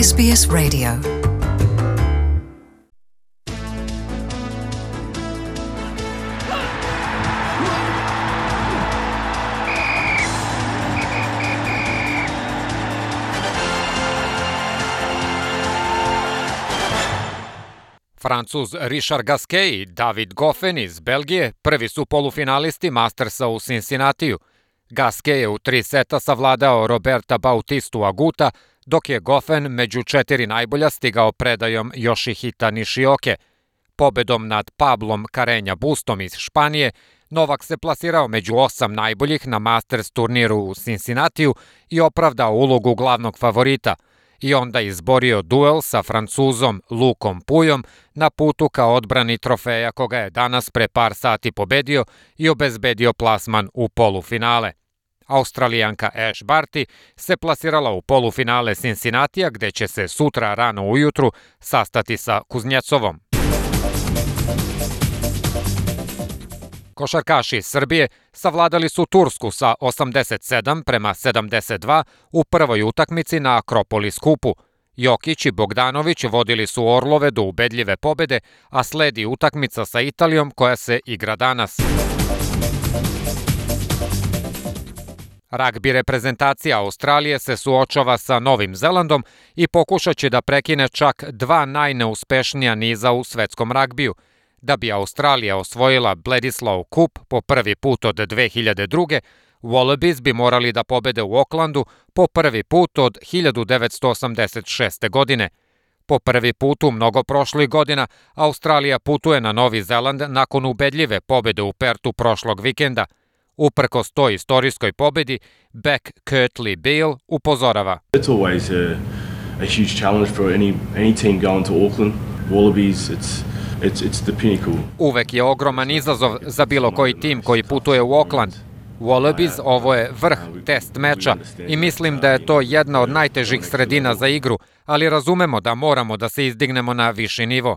SBS Radio. Francuz Richard Gasquet i David Goffin iz Belgije prvi su polufinalisti Mastersa u Cincinnatiju. Gasquet je u 3 seta savladao Roberta Bautistu Aguta, dok je Goffin među 4 najbolja stigao predajom Yoshihita Nishioke. Pobedom nad Pablom Carreño Bustom iz Španije, Novak se plasirao među 8 najboljih na Masters turniru u Cincinnatiju i opravdao ulogu glavnog favorita. I onda izborio duel sa Francuzom Lukom Puyom na putu ka odbrani trofeja koga je danas pre par sati pobedio i obezbedio plasman u polufinale. Australijanka Ash Barty se plasirala u polufinale Cincinnatija gde će se sutra rano ujutru sastati sa Kuznjecovom. Košarkaši iz Srbije savladali su Tursku sa 87-72 u prvoj utakmici na Akropolis kupu. Jokić i Bogdanović vodili su Orlove do ubedljive pobede, a sledi utakmica sa Italijom koja se igra danas. Ragbi reprezentacija Australije se suočava sa Novim Zelandom i pokušat će da prekine čak 2 najneuspešnija niza u svetskom ragbiju. Da bi Australija osvojila Bledisloe Cup po prvi put od 2002. Wallabies bi morali da pobede u Aucklandu po prvi put od 1986. godine. Po prvi put u mnogo prošlih godina Australija putuje na Novi Zeland nakon ubedljive pobede u Pertu prošlog vikenda. Uprkos toj istorijskoj pobedi, Beck Kirtley Beale upozorava. It's always a huge challenge for any team going to Auckland. Wallabies, it's the pinnacle. Uvek je ogroman izazov za bilo koji tim koji putuje u Auckland. Wallabies, ovo je vrh test meča i mislim da je to jedna od najtežih sredina za igru, ali razumemo da moramo da se izdignemo na viši nivo.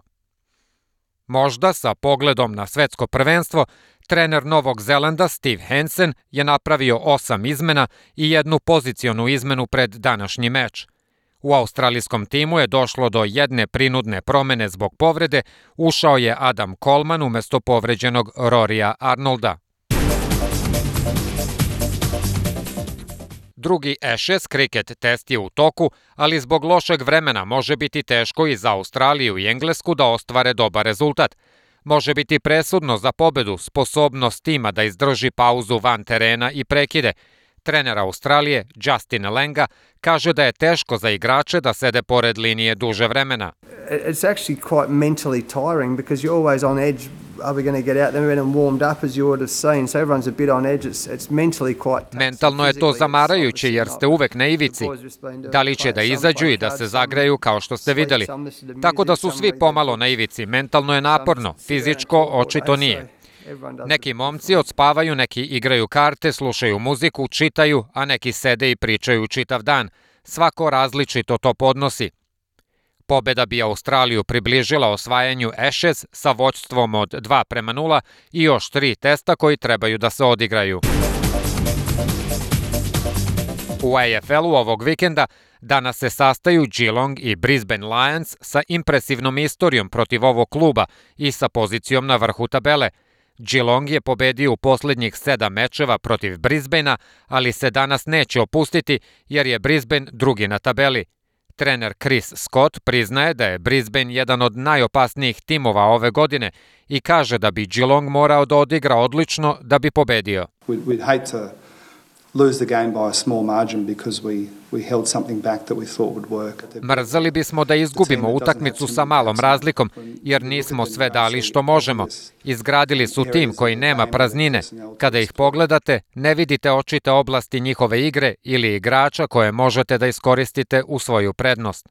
Možda sa pogledom na svetsko prvenstvo, trener Novog Zelanda Steve Hansen je napravio 8 izmena i 1 pozicionu izmenu pred današnji meč. U australijskom timu je došlo do jedne prinudne promene zbog povrede, ušao je Adam Coleman umesto povređenog Rorya Arnolda. Drugi Ashes kriket test je u toku, ali zbog lošeg vremena može biti teško i za Australiju i Englesku da ostvare dobar rezultat. Može biti presudno za pobedu sposobnost tima da izdrži pauzu van terena i prekide. Trener Australije Justin Lenga kaže da je teško za igrače da sede pored linije duže vremena. It's actually quite mentally tiring because you're always on edge. Are we going to get out there and warmed up as you would have seen? So everyone's a bit on edge. It's mentally quite. Mentalno je to zamarajuće jer ste uvek na ivici. Da li će da izađu i da se zagreju kao što ste videli? Tako da su svi pomalo na ivici. Mentalno je naporno, fizičko očito nije. Neki momci odspavaju, neki igraju karte, slušaju muziku, čitaju, a neki sede i pričaju čitav dan. Svako različito to podnosi. Pobeda bi Australiju približila osvajanju Ashes sa vođstvom od 2-0 i još 3 testa koji trebaju da se odigraju. U AFL-u ovog vikenda danas se sastaju Geelong i Brisbane Lions sa impresivnom istorijom protiv ovog kluba i sa pozicijom na vrhu tabele. Geelong je pobedio u poslednjih 7 mečeva protiv Brisbanea, ali se danas neće opustiti jer je Brisbane drugi na tabeli. Trener Chris Scott priznaje da je Brisbane jedan od najopasnijih timova ove godine i kaže da bi Geelong morao da odigra odlično da bi pobedio. We'd hate to lose the game by a small margin because we held something back that we thought would work. Mrzeli bismo da izgubimo utakmicu sa malom razlikom jer nismo sve dali što možemo. Izgradili su tim koji nema praznine. Kada ih pogledate, ne vidite očite oblasti njihove igre ili igrača koje možete da iskoristite u svoju prednost.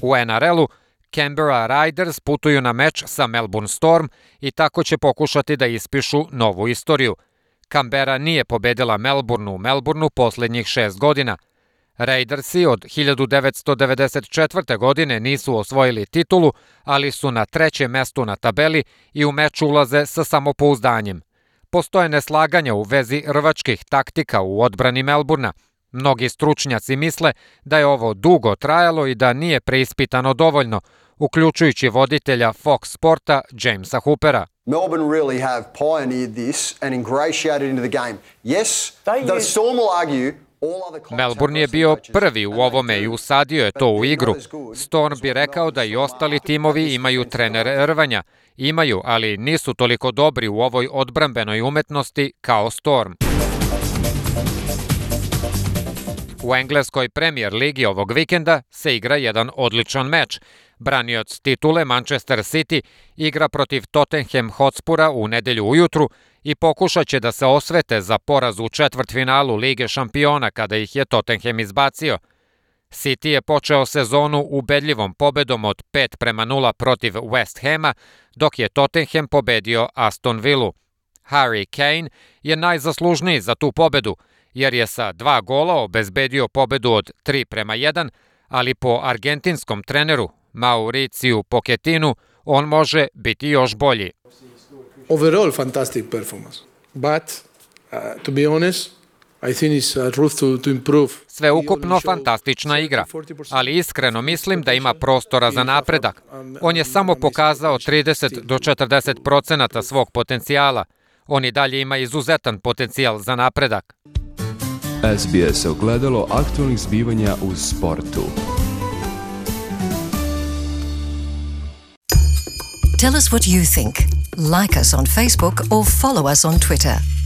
U NRL-u Canberra Raiders putuju na meč sa Melbourne Storm i tako će pokušati da ispišu novu istoriju. Canberra nije pobedila Melbourne u Melbourneu poslednjih 6 godina. Raidersi od 1994. godine nisu osvojili titulu, ali su na 3. mestu na tabeli i u meč ulaze sa samopouzdanjem. Postoje neslaganja u vezi rvačkih taktika u odbrani Melbournea. Mnogi stručnjaci misle da je ovo dugo trajalo i da nije preispitano dovoljno, uključujući voditelja Fox Sporta Jamesa Hoopera. Melbourne really have pioneered this and ingratiated into the game. Yes, the Storm will argue. Melbourne je bio prvi u ovome i usadio je to u igru. Storm bi rekao da i ostali timovi imaju trenere rvanja. Imaju, ali nisu toliko dobri u ovoj odbrambenoj umetnosti kao Storm. U engleskoj Premier ligi ovog vikenda se igra jedan odličan meč. Branioc titule Manchester City igra protiv Tottenham Hotspura u nedelju ujutru i pokušat će da se osvete za poraz u četvrtfinalu Lige šampiona kada ih je Tottenham izbacio. City je počeo sezonu ubedljivom pobedom od 5-0 protiv West Hama, dok je Tottenham pobedio Aston Villu. Harry Kane je najzaslužniji za tu pobedu, jer je sa 2 gola obezbedio pobedu od 3-1, ali po argentinskom treneru Mauriciju Pochettinu on može biti još bolji. Overall, fantastic performance. But, to be honest, I think it's room to improve. Sveukupno fantastična igra, ali iskreno mislim da ima prostora za napredak. On je samo pokazao 30 do 40% svog potencijala. On i dalje ima izuzetan potencijal za napredak. SBS ogledalo aktualnih zbivanja u sportu. Tell us what you think. Like us on Facebook or follow us on Twitter.